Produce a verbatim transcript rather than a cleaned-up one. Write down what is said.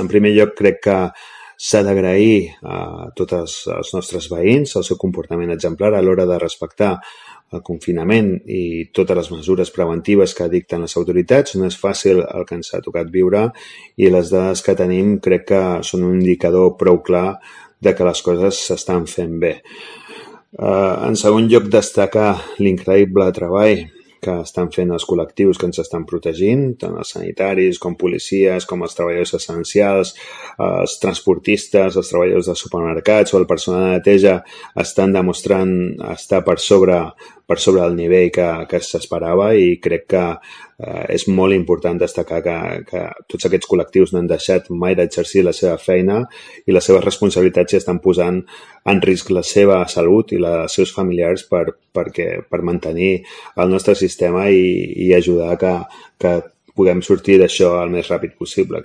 en primer lloc, crec que s'ha d'agrair a tots els nostres veïns el seu comportament exemplar a l'hora de respectar el confinament i totes les mesures preventives que dicten les autoritats. No és fàcil el que ens ha tocat viure i les dades que tenim crec que són un indicador prou clar de que les coses s'estan fent bé. Uh, en segon lloc, destacar l'increïble treball que estan fent els col·lectius que ens estan protegint, tant els sanitaris com policies, com els treballadors essencials, els transportistes, els treballadors de supermercats o el personal de neteja estan demostrant estar per sobre, per sobre el nivell que, que s'esperava i crec que eh, és molt important destacar que, que tots aquests col·lectius no han deixat mai d'exercir la seva feina i les seves responsabilitats i estan posant en risc la seva salut i la dels seus familiars per, perquè, per mantenir el nostre sistema i, i ajudar que, que puguem sortir d'això el més ràpid possible.